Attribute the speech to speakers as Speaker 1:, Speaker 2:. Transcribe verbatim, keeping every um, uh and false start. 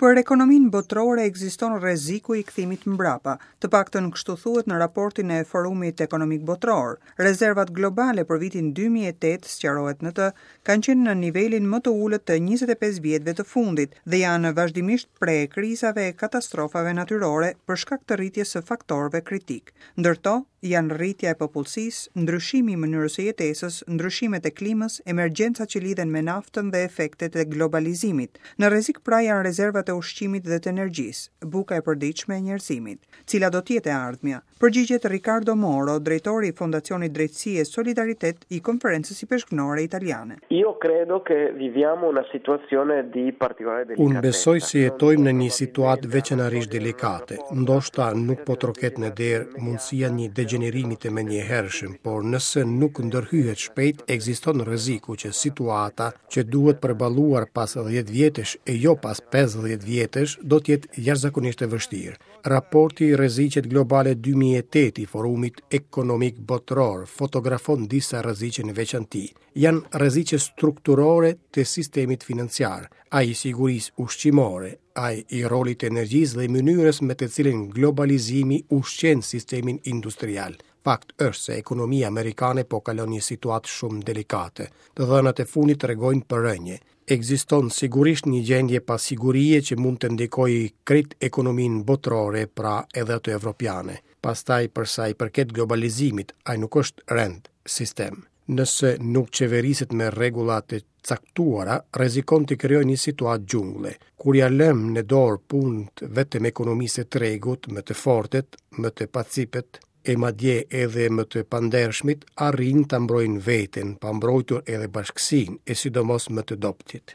Speaker 1: Për ekonominë botërore ekziston rreziku i kthimit mbrapa, të paktën kështu thuhet në raportin e Forumit Ekonomik Botëror. Rezervat globale për vitin dy mijë e tetë, sqarohet në të, kanë qenë në nivelin më të ulët të njëzet e pesë vjetëve të fundit dhe janë vazhdimisht pre e krizave e katastrofave natyrore për shkak të rritjes së faktorëve kritik. Ndër to janë rritja e popullsisë, ndryshimi i mënyrës së jetesës, ndryshimet e klimës, emergjencat që lidhen me naftën dhe efektet e globalizimit. Në rrezik pra janë rezervat e ushqimit dhe të energjisë, buka e përditshme e njerëzimit. Cila do të jetë e ardhmja? Përgjigjet Riccardo Moro, drejtori i Fondacionit Drejtësi e Solidaritet i Konferencës Ipeshkvnore Italiane.
Speaker 2: Io credo che viviamo una situazione di particolare delicatezza.
Speaker 3: Unë besoj se jetojmë në një situatë veçanërisht delikate. Ndoshta nuk po troket në derë mundësia një degjenerimi të menjëhershëm, por nëse nuk ndërhyhet shpejt, ekziston rreziku që situata që duhet përballuar pas dhjetë vjetësh e jo pas pesëdhjetë vjetësh do të jetë jashtëzakonisht e vështirë. Raporti i Rreziqet Globale dy mijë e tetë i Forumit Ekonomik Botëror fotografon disa rreziqe në veçanti. Janë rreziqe strukturore të sistemit financiar, ai i sigurisë ushqimore, ai i rolit të energjisë dhe i mënyrës me të cilën globalizimi ushqen sistemin industrial. Fakt është se ekonomia amerikane po kalon një situatë shumë delikate. Të dhënat e fundit tregojnë për rënje. Ekziston sigurisht një gjendje pasigurie që mund të ndikojë krejt ekonominë botërore, pra edhe atë evropiane. Pastaj, për sa i përket globalizimit, ai nuk është rend, sistem. Nëse nuk qeveriset me rregulla të caktuara, rrezikon të krijojë një situatë xhungle. Kur ja lëm në dorë punët vetëm ekonomisë së tregut, më të fortet, më të pacipet, e madje edhe më të pandershmit, arrin ta mbrojnë veten, pa mbrojtur edhe bashkësinë, e sidomos më të dobëtit.